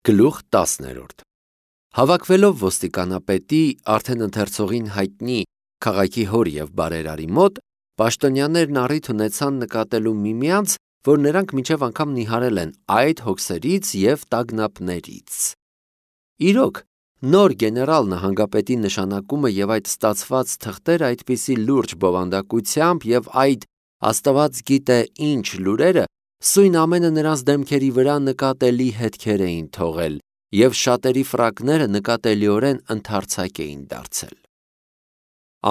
Գլուխ 10 Հավաքվելով ոստիկանապետի արդեն ընթերցողին հայտնի քաղաքի հոր և բարերարի մոտ, պաշտոնյաներն առիթ ունեցան նկատելու միմյանց, որ նրանք մինչև անգամ նիհարել են այդ հոգսերից և տագնապներից։ Իրոք, նոր գեներալ նահանգապետի նշանակումը և այդ ստացված թղթերը այդպիսի լուրջ բովանդակությամբ և այդ Աստված գիտե ինչ լուրերը սույն ամենը նրանց դեմքերի վրա նկատելի հետքեր էին թողել և շատերի ֆրակները նկատելիորեն ընդարձակ էին դարձել։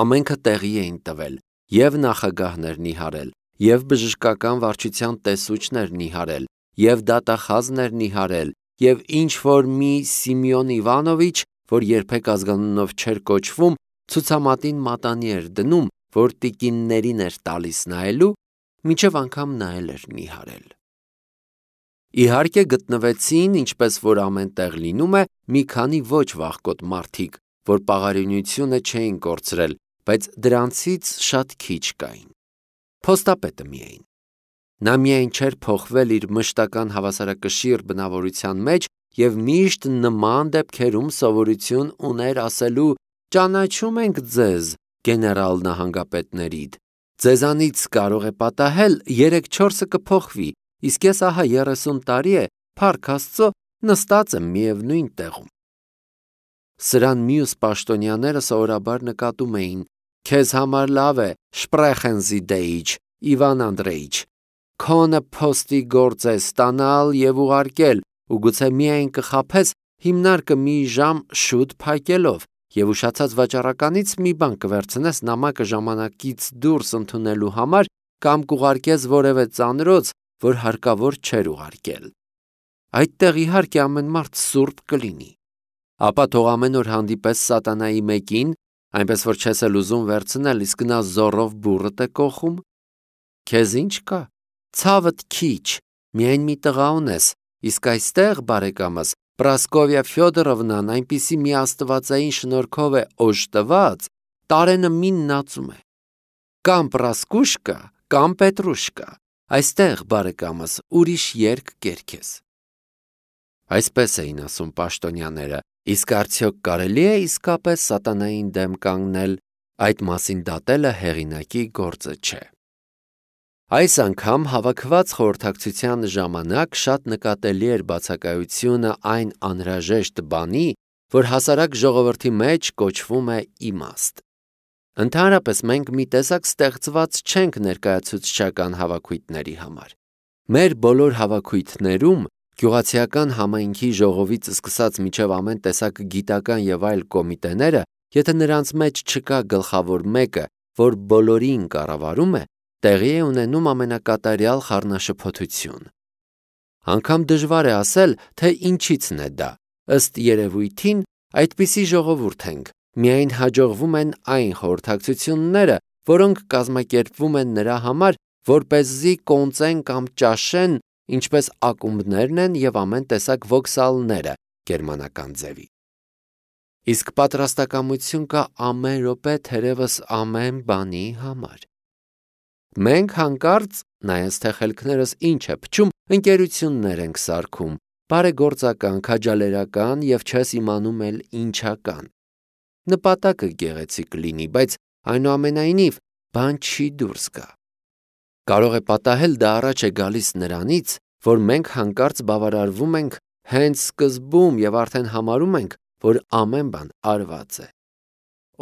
Ամենքը տեղի էին տվել, և նախագահներ նիհարել, և բժշկական վարչության տեսուչներ նիհարել, և դատախազներ նիհարել, և ինչ-որ մի Սիմեոն Իվանովիչ, որ երբեք ազգանունով չէր կոչվում, ցուցամատին մատանի էր դնում, որ տիկիններին էր տալիս նայելու, մինչև անգամ նա էր նիհարել։ Իհարկե գտնվեցին, ինչպես որ ամեն տեղ լինում է, մի քանի ոչ վախկոտ մարդիկ, որ պաղարինությունը չէին կորցրել, բայց դրանցից շատ քիչ կային։ Փոստապետը միայն։ Նա միայն չէր փոխվել իր մշտական հավասարակշիռ բնավորության մեջ և միշտ նման դեպքերում սովորություն ուներ ասելու. «Ճանաչում ենք ձեզ, գեներալ նահանգապետներիդ, ձեզանից կարող է պատահել 3-4-ը կփոխվի, իսկ ես ահա 30 տարի է, փառք Աստծո, նստած եմ միևնույն տեղում»։ Սրան մյուս պաշտոնյաները սովորաբար նկատում էին. «Քեզ համար լավ է, Sprechen Sie Deutsch, Իվան Անդրեիչ, քոնը փոստի գործ է ստանալ և ուղարկել ու գուցե միայն կխաբես հիմնարկը մի ժամ շուտ փակելով և ուշացած վաճառականից մի բան կվերցնես նամակը ժամանակից դուրս ընդունելու համար կամ կուղարկես որևէ ծանրոց, որ հարկավոր չէր ուղարկել։ Այդտեղ իհարկե ամեն մարդ սուրբ կլինի։ Ապա թող ամեն օր հանդիպես սատանայի մեկին, այնպես որ չես էլ ուզում վերցնել, իսկ նա զոռով բուռդ է կոխում։ Քեզ ինչ կա, ցավդ քիչ, միայն մի տղա ունես, իսկ այստեղ, բարեկամս, Պրասկովիա Ֆյոդորովնան այնպիսի մի աստվածային շնորհքով է օժտված, տարենը միննացում է։ Կամ Պրասկուշկա, կամ Պետրուշկա, այստեղ, բարեկամս, ուրիշ երգ կերքես։ Այսպես էին ասում պաշտոնյաները, իսկ արդյոք կարելի է իսկապես սատանային դեմ կանգնել, այդ մասին դատելը հեղինակի գործը չէ։ Այս անգամ հավաքված խորհրդակցության ժամանակ շատ նկատելի էր բացակայությունը այն անհրաժեշտ բանի, որ հասարակ ժողովրդի մեջ կոչվում է իմաստ։ Ընդհանրապես մենք մի տեսակ ստեղծված չենք ներկայացուցչական հավաքույթների համար։ Մեր բոլոր հավաքույթներում գյուղացիական համայնքի ժողովից սկսած մինչև ամեն տեսակ գիտական և այլ կոմիտեները, եթե նրանց մեջ չկա գլխավոր մեկը, որ բոլորին կառավարում է, տեղի է ունենում ամենակատարյալ խառնաշփոթություն։ Անգամ դժվար է ասել, թե ինչիցն է դա, ըստ երևույթին, այդպիսի ժողովուրդ ենք, միայն հաջողվում են այն խորհրդակցությունները, որոնք կազմակերպվում են նրա համար, որպեսզի կոնծեն կամ ճաշեն, ինչպես ակումբներն են և ամեն տեսակ վոքսալները գերմանական ձևի։ Իսկ պատրաստակամություն կա ամեն րոպե թերևս ամեն բանի համար։ Մենք հանկարծ, նայած թե խելքներս ինչ է փչում, ընկերություններ ենք սարքում, բարեգործական, քաջալերական և չես իմանում էլ ինչական։ Նպատակը գեղեցիկ լինի, բայց այնուամենայնիվ բան չի դուրս գա։ Կարող է պատահել դա առաջ է գալիս նրանից, որ մենք հանկարծ բավարարվում ենք հենց սկզբում և արդեն համարում ենք, որ ամեն բան արված է։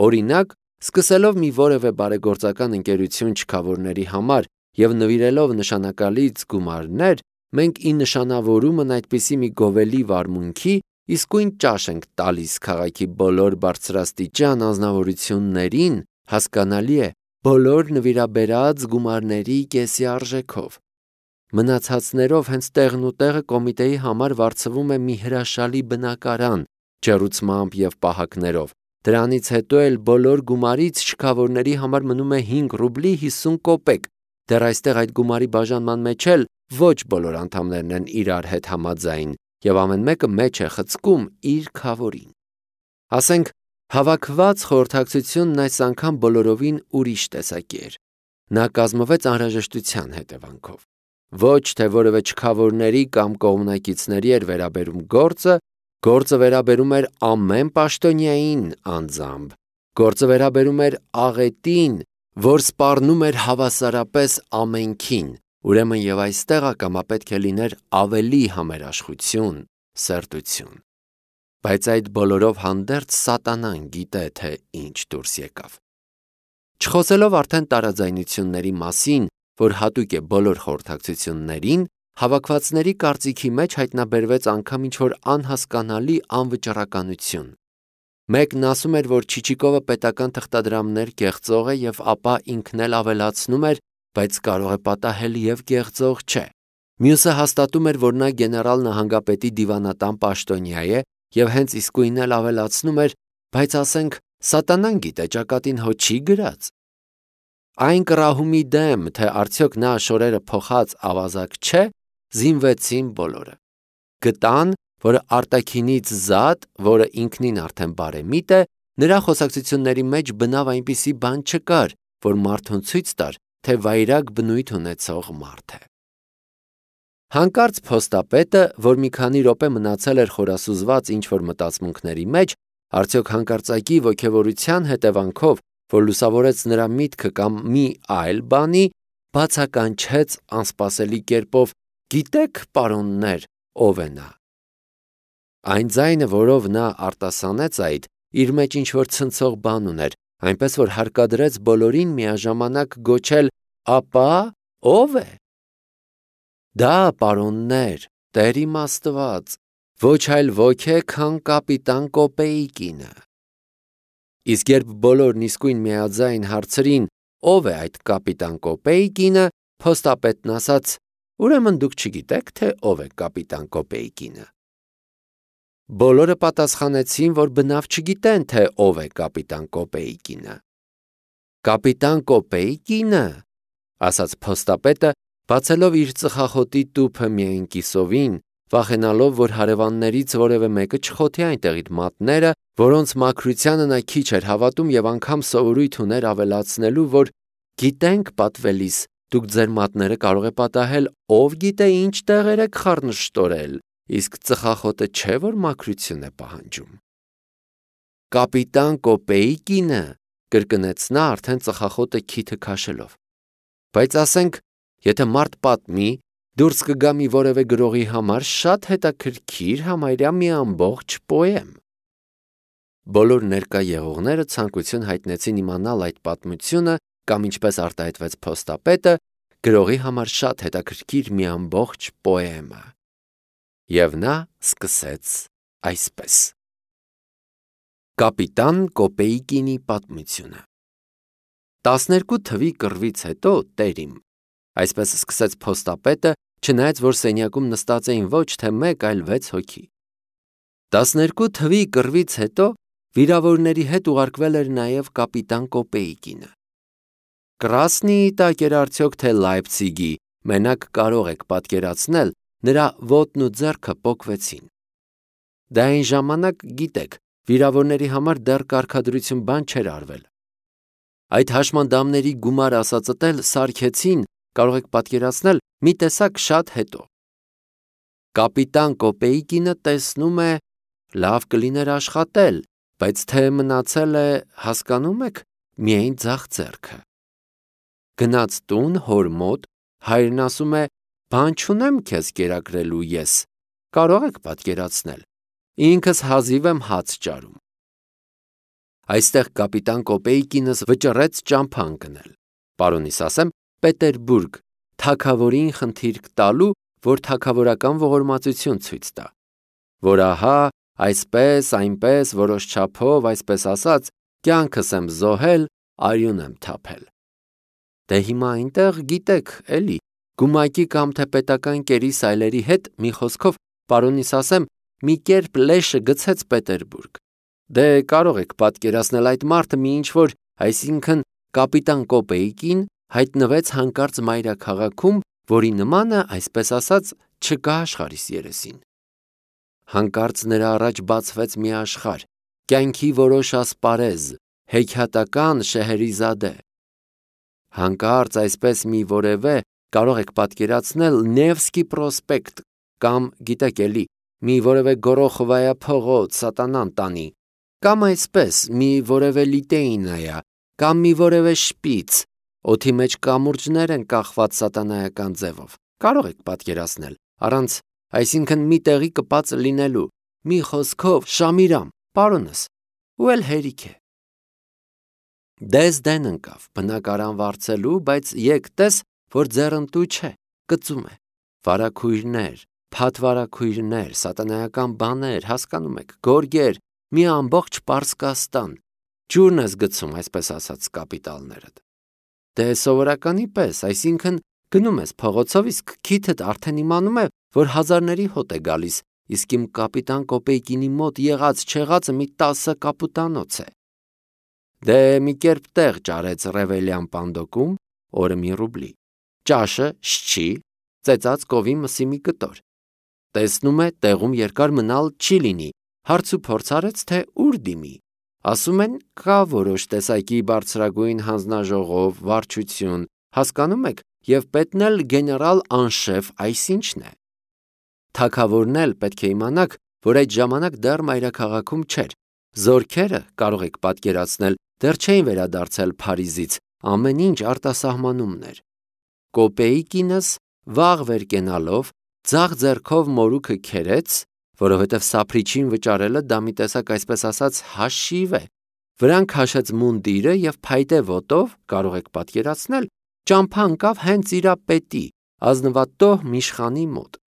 Օրինակ, սկսելով մի որևէ բարեգործական ընկերություն չքավորների համար և նվիրելով նշանակալից գումարներ, մենք ի նշանավորումն այդպիսի մի գովելի վարմունքի իսկույն ճաշ ենք տալիս քաղաքի բոլոր բարձրաստիճան անձնավորություններին, հասկանալի է, բոլոր նվիրաբերած գումարների կեսի արժեքով։ Մնացածներով հենց տեղն ու տեղը կոմիտեի համար վարձվում է մի հրաշալի բնակարան, ջեռուցմամբ և պահակներով։ Դրանից հետո էլ բոլոր գումարից չքավորների համար մնում է 5 ռուբլի 50 կոպեկ, դեռ այստեղ այդ գումարի բաժանման մեջ էլ ոչ բոլոր անդամներն են իրար հետ համաձայն, և ամեն մեկը մեջ է խցկում իր քավորին։ Ասենք, հավաքված խորհրդակցությունն այս անգամ բոլորովին ուրիշ տեսակի էր։ Նա կազմվեց անհրաժեշտության հետևանքով։ ոչ թե որևէ չքավորների կամ կողմնակիցների էր վերաբերում գործը վերաբերում էր ամեն պաշտոնյային անձամբ, գործը վերաբերում էր աղետին, որ սպառնում էր հավասարապես ամենքին, ուրեմն եւ այստեղ ակամա պետք է լիներ ավելի համերաշխություն, սերտություն։ Բայց այդ բոլորով հանդերձ սատանան գիտե, թե ինչ դուրս եկավ։ Չխոսելով արդեն տարաձայնությունների մասին, որ հատուկ է բոլոր խորհրդակցություններին, հավաքվածների կարծիքի մեջ հայտնաբերվեց անգամ ինչ-որ անհասկանալի անվճռականություն։ Մեկն ասում էր, որ Չիչիկովը պետական թղթադրամներ կեղծող է եւ ապա ինքն էլ ավելացնում էր, բայց կարող է պատահել եւ կեղծող չէ։ Մյուսը հաստատում էր, որ նա գեներալ նահանգապետի դիվանատան պաշտոնյա է եւ հենց իսկույն էլ ավելացնում էր, բայց ասենք սատանան գիտե ճակատին հո չի գրած։ Այն կռահումի դեմ, թե արդյոք նա շորերը փոխած ավազակ չէ, զինվեցին բոլորը։ Գտան, որ արտաքինից զատ, որը ինքնին արդեն բարեմիտ է, նրա խոսակցությունների մեջ բնավ այնպիսի բան չկար, որ մարդուն ցույց տար, թե վայրագ բնույթ ունեցող մարդ է։ Հանկարծ փոստապետը, որ մի քանի րոպե մնացել էր խորասուզված ինչ-որ մտածմունքների մեջ, արդյոք հանկարծակի ոգևորության հետևանքով, որ լուսավորեց նրա միտքը կամ մի այլ բանի, բացականչեց անսպասելի կերպով. «Գիտեք, պարոններ, ով է նա»։ Այն ձայնը, որով նա արտասանեց այդ, իր մեջ ինչ-որ ցնցող բան ուներ, այնպես որ հարկադրեց բոլորին միաժամանակ գոչել. «Ապա ո՞վ է»։ Դա, պարոններ, Տեր իմ Աստված, ոչ այլ ոք է, քան կապիտան Կոպեիկինը։ Իսկ երբ բոլորն իսկույն միաձայն հարցրին. «Ով է այդ կապիտան Կոպեիկինը», փոստապետն ասաց. «Ուրեմն դուք չգիտեք, թե ով է կապիտան Կոպեիկինը»։ Բոլորը պատասխանեցին, որ բնավ չգիտեն, թե ով է կապիտան Կոպեիկինը։ «Կապիտան Կոպեիկինը», ասաց փոստապետը, բացելով իր ծխախոտի տուփը միայն կիսովին, վախենալով, որ հարևաններից որևէ մեկը չխոթի այնտեղ իր մատները, որոնց մաքրությանը նա քիչ էր հավատում եւ անգամ սովորույթ ուներ ավելացնելու, որ «Գիտենք, պատվելիս, դուք ձեր մատները կարող է պատահել, ով գիտե ինչ տեղեր եք խառնշտորել, իսկ ծխախոտը չէ, որ մաքրություն է պահանջում»։ «Կապիտան Կոպեիկինը», կրկնեց նա արդեն ծխախոտը քիթը քաշելով։ Բայց ասենք, եթե մարդ պատմի, դուրս կգա մի որևէ գրողի համար շատ հետաքրքիր համարյա մի ամբողջ պոեմ։ Բոլոր ներկա եղողները ցանկություն հայտնեցին իմանալ այդ պատմությունը կամ ինչպես արտահայտվեց փոստապետը, գրողի համար շատ հետաքրքիր մի ամբողջ պոեմը։ Եվ նա սկսեց այսպես. Կապիտան Կոպեիկինի պատմությունը։ 12 թվի կռվից հետո, տերիմ, այսպես սկսեց փոստապետը, չնայած որ սենյակում նստած էին ոչ թե մեկ, այլ 6 հոգի։ 12 թվի կռվից հետո վիրավորների հետ ուղարկվել էր նաև կապիտան Կոպեիկինը։ Կրասնիի տակ էր արդյոք թե Լայպցիգի, մենակ կարող եք պատկերացնել, նրա ոտն ու ձեռքը պոկվեցին։ Դա այն ժամանակ, գիտեք, վիրավորների համար դեռ կարգադրություն բան չէր արվել։ Այդ հաշմանդամների գումար ասածդ էլ սարքեցին, կարող եք պատկերացնել, մի տեսակ շատ հետո։ Կապիտան Կոպեիկինը տեսնում է, լավ կլիներ աշխատել, բայց թե մնացել է, հասկանում եք, միայն ձախ ձեռքը։ Գնաց տուն հոր մոտ, հայրն ասում է. «Բան չունեմ քեզ կերակրելու ես, կարող եք պատկերացնել, ինքս հազիվ եմ հաց ճարում»։ Այստեղ կապիտան Կոպեիկինս վճռեց ճամփա ընկնել, պարոնիս ասեմ, Պետերբուրգ, թագավորին խնդիրք տալու, որ թագավորական ողորմածություն ցույց տա, որ ահա, այսպես, այնպես, որոշ չափով, այսպես ասած, կյանքս եմ զոհել, արյուն եմ թափել։ Դե հիմա այնտեղ, գիտեք, էլի, գումակի կամ թե պետական կերի սայլերի հետ, մի խոսքով, պարոնիս ասեմ, մի կերպ լեշը գցեց Պետերբուրգ։ Դե կարող եք պատկերացնել այդ մարդը մի ինչ-որ, այսինքն կապիտան Կոպեիկին հայտնվեց հանկարծ մայրաքաղաքում, որի նմանը, այսպես ասած, չկա աշխարհիս երեսին։ Հանկարծ նրա առաջ բացվեց մի աշխարհ, կյանքի որոշ ասպարեզ, հեքիաթական Շեհերիզադե։ Հանկարծ այսպես մի որևէ, կարող եք պատկերացնել Նևսկի պրոսպեկտ կամ գիտեք էլի, մի որևէ Գորոխովայա փողոց սատանան տանի, կամ այսպես մի որևէ լիտեինայա, կամ մի որևէ շպիծ, օդի մեջ կամուրջներ են կախված սատանայական ձևով, կարող եք պատկերացնել, առանց, այսինքն մի տեղի կպած լինելու, մի խոսքով Շամիրամ, պարոնս, ու էլ հերիք է։ Դες դեն ընկավ բնակարան վարձելու, բայց եկ տես, որ ձեռնտու չէ, կծում է, վարագույրներ, փաթվարագույրներ, սատանայական բաներ, հասկանում եք, գորգեր, մի ամբողջ Պարսկաստան, ջուրն ես գցում, այսպես ասած, կապիտալներդ։ Դե սովորականի պես, այսինքն գնում ես փողոցով, իսկ քիթդ արդեն իմանում է, որ հազարների հոտ է գալիս, իսկ իմ կապիտան Կոպեյկինի մոտ եղած չեղածը մի 10 կապուտանոց է։ Դե մի կերպ տեղ ճարեց Ռևելյան պանդոկում, օրը մի ռուբլի, ճաշը շչի, ծեծած կովի մսի մի կտոր։ Տեսնում է, տեղում երկար մնալ չի լինի, հարց ու փորձ արեց, թե ուր դիմի։ Ասում են, կա որոշ տեսակի բարձրագույն հանձնաժողով, վարչություն, հասկանում եք, եւ պետն էլ գեներալ անշեֆ այսինչն է։ Թագավորն էլ պետք է իմանաք, որ այդ ժամանակ դեռ մայրաքաղաքում չէր։ Զորքերը, կարող եք պատկերացնել, դեռ չէին վերադարձել Փարիզից, ամեն ինչ արտասահմանումներ։ Կոպեյկինս վաղ վեր կենալով, ձախ ձեռքով մորուքը քերեց, որովհետև սափրիչին վճարելը դա մի տեսակ այսպես ասած հաշիվ է։ Վրան քաշեց մունդիրը եւ փայտե ոտով, կարող եք պատկերացնել, ճամփա ընկավ հենց իրա պետի, ազնվատոհ Միշխանի մոտ։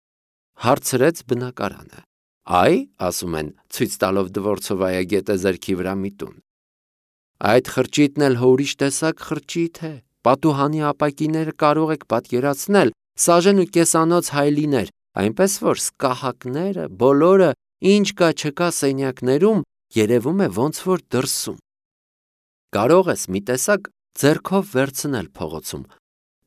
Հարցրեց բնակարանը։ Այ, ասում են, ցույց տալով Դվորցովայա գետը ձեռքի վրա մի տուն։ Այդ խրճիթն էլ ուրիշ տեսակ խրճիթ է, պատուհանի ապակիները կարող եք պատկերացնել, սաժեն ու կեսանոց հայլիներ, այնպես որ սկահակները, բոլորը, ինչ կա չկա սենյակներում, երևում է ոնց որ դրսում։ Կարող ես մի տեսակ ձեռքով վերցնել փողոցում,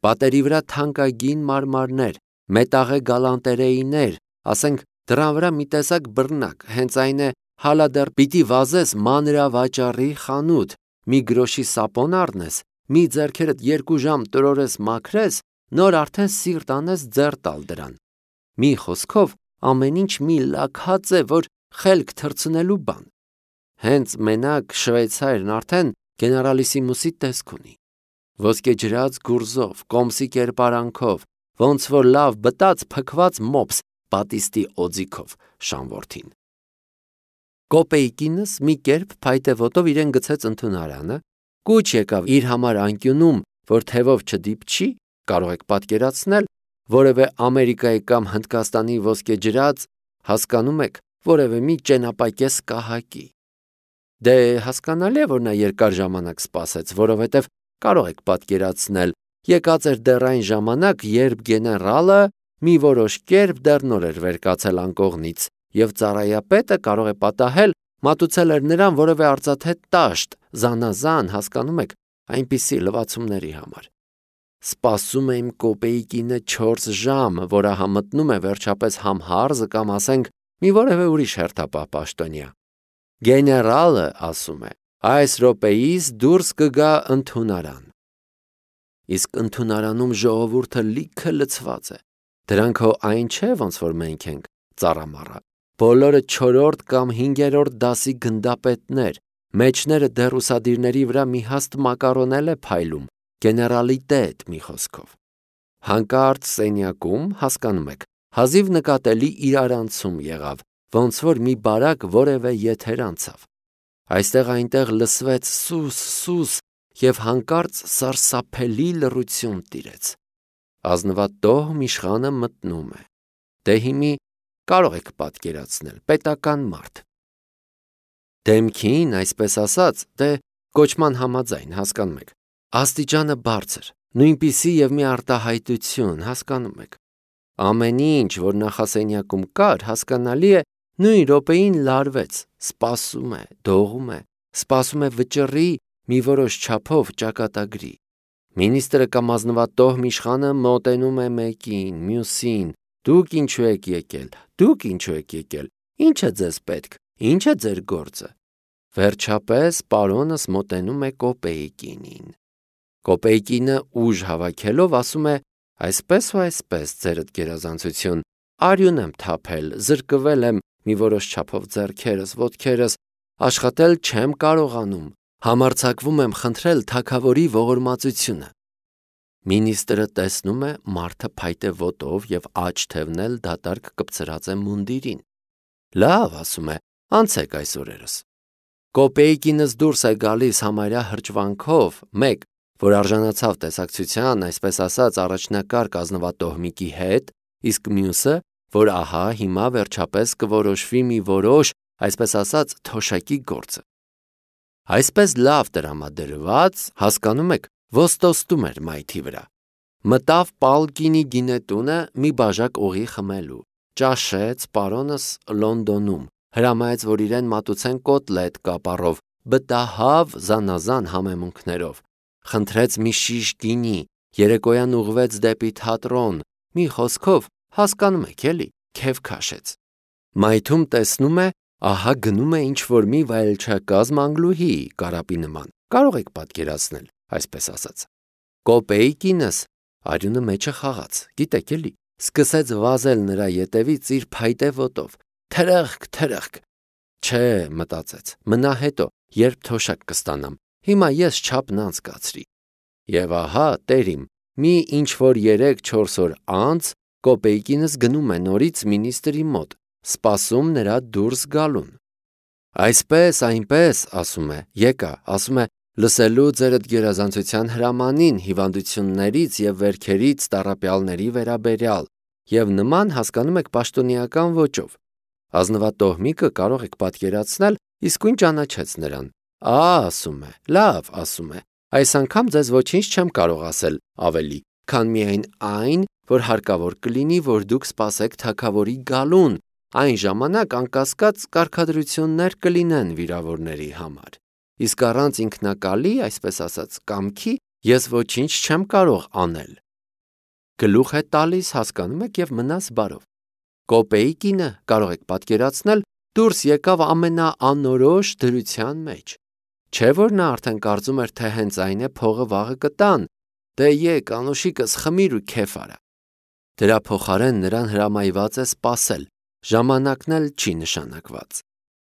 պատերի վրա թանկագին մարմարներ, մետաղե գալանտերեիներ, ասենք դրան վրա մի տեսակ բռնակ, հենց այն է հալա դեռ պիտի վազես մանրավաճառի խանութ, մի գրոշի սապոն առնես, մի ձեռքերդ 2 ժամ տրորես մաքրես, նոր արդեն սիրտ անես ձեռ տալ դրան։ Մի խոսքով ամեն ինչ մի լաքած է, որ խելք թռցնելու բան։ Հենց մենակ շվեյցարն արդեն գեներալիսիմուսի տեսք ունի։ Ոսկեջրած գուրզով, կոմսի կերպարանքով, ոնց որ լավ բտած փքված մոպս պատիստի օձիքով շանվորթին։ Կոպեյկինս մի կերպ փայտե ոտով իրեն գցեց ընդունարանը, կուչ եկավ իր համար անկյունում, որ թևով չդիպչի, կարող եք պատկերացնել, որևէ Ամերիկայի կամ Հնդկաստանի ոսկեջրած, հասկանում եք, որևէ մի ճենապակես կահակի։ Դե հասկանալի է, որ նա երկար ժամանակ սպասեց, որովհետև կարող եք պատկերացնել, եկած էր դեռ այն ժամանակ, երբ գեներալը մի որոշ կերպ դեռ նոր էր վեր կացել անկողնից, եւ ծառայապետը կարող է պատահել, մատուցել էր նրան որևէ արծաթե տաշտ, զանազան, հասկանում եք, այնպիսի լվացումների համար։ Սպասում եմ Կոպեյկինը 4 ժամ, որը համտնում է վերջապես համ հարզը կամ ասենք մի որևէ ուրիշ հերթապահ պաշտոնյա։ Գեներալը ասում է, այս րոպեից դուրս կգա ընդունարան։ Իսկ ընդունարանում ժողովուրդը լիքը լցված է։ Դրանք հո այն չէ, ոնց որ մենք ենք, ծառամառա։ Բոլորը 4-րդ կամ 5-րդ դասի գնդապետներ, մեջները դեռ ուսադիրների վրա մի հաստ մակարոնել է փայլում, գեներալիտետ մի խոսքով։ Հանկարծ սենյակում, հասկանում եք, հազիվ նկատելի իրարանցում եղավ, ոնց որ մի բարակ որևէ եթեր անցավ։ Այստեղ այնտեղ լսվեց սուս եւ հանկարծ սարսափելի լռություն տիրեց։ Ազնվատոհ Միշխանը մտնում է։ Դե հիմի կարող եք պատկերացնել, պետական մարդ։ Դեմքին, այսպես ասած, դե կոչման համաձայն, հասկանում եք, աստիճանը բարձր, նույնպիսի եւ մի արտահայտություն, հասկանում եք։ Ամեն ինչ, որ նախասենյակում կար, հասկանալի է, նույն րոպեին լարվեց, սպասում է, դողում է, սպասում է վճռի մի որոշ չափով ճակատագրի։ Մինիստրը կամ ազնվատոհ Միշխանը մոտենում է մեկին, մյուսին, դուք ինչու եք եկել, դուք ինչու եք եկել, ինչ է ձեզ պետք, ինչ է ձեր գործը։ Վերջապես պարոնս մոտենում է Կոպեյկինին։ Կոպեյկինը ուժ հավաքելով ասում է, Այսպես ու այսպես, ձերդ գերազանցություն, արյուն եմ թափել, զրկվել եմ մի որոշ չափով ձեռքերս, ոտքերս, աշխատել չեմ կարողանում, համարձակվում եմ խնդրել թագավորի ողորմածությունը։ Մինիստրը տեսնում է մարդը փայտե ոտով և աջ թևնել դատարկ կպցրած է մունդիրին։ Լավ, ասում է, անցեք այս օրերս։ Կոպեյկինս դուրս է գալիս համարյա հրճվանքով, մեկ, որ արժանացավ տեսակցության, այսպես ասած, առաջնակարգ ազնվատոհմիկի հետ, իսկ մյուսը, որ ահա հիմա վերջապես կորոշվի մի որոշ, այսպես ասած, թոշակի գործը։ Այսպես լավ տրամադրված, հասկանում եք, ոստոստում էր մայթի վրա։ Մտավ Պալկինի գինետունը մի բաժակ օղի խմելու, ճաշեց պարոնս Լոնդոնում, հրամայեց, որ իրեն մատուցեն կոտլետ կապարով, բտահավ զանազան համեմունքներով, խնդրեց մի շիշ գինի, երեկոյան ուղղվեց դեպի թատրոն, մի խոսքով, հասկանում եք էլի, քեֆ քաշեց։ Մայթում տեսնում է, ահա գնում է ինչ-որ մի վայելչակազմ անգլուհի կարապի նման, կարող եք պատկերացնել, այսպես ասած։ Կոպեյկինս արյունը մեջը խաղաց, գիտեք էլի, սկսեց վազել նրա ետևից իր փայտե ոտով, թրըխկ, չէ, մտածեց, մնա հետո, երբ թոշակ կստանամ, հիմա ես չափն անցկացրի։ Եվ ահա, տերիմ, մի ինչ-որ 3-4 օր անց Կոպեյկինս գնում է նորից մինիստրի մոտ, սպասում նրա դուրս գալուն։ Այսպես, այնպես, ասում է, եկա, ասում է, լսելու ձերդ գերազանցության հրամանին հիվանդություններից և վերքերից տառապյալների վերաբերյալ, և նման հասկանում եք պաշտոնեական ոճով։ Ազնվատոհմիկը կարող եք պատկերացնել, իսկույն ճանաչեց նրան։ Ասում է, լավ, ասում է, այս անգամ ձեզ ոչինչ չեմ կարող ասել ավելի, քան միայն այն, որ հարկավոր կլինի, որ դուք սպասեք թագավորի գալուն, այն ժամանակ անկասկած կարգադրություններ կլինեն վիրավորների համար։ Իսկ առանց ինքնակալի, այսպես ասած, կամքի, ես ոչինչ չեմ կարող անել։ Գլուխ է տալիս, հասկանում եք, և մնաս բարով։ Կոպեյկինը, կարող եք պատկերացնել, դուրս եկավ ամենաանորոշ դրության մեջ։ Չէ՞ որ նա արդեն կարծում էր, թե հենց այն է փողը վաղը կտան, դե եկ, անուշիկս, խմիր ու քեֆ արա։ Դրա փոխարեն նրան հրամայված է սպասել, ժամանակն էլ չի նշանակված։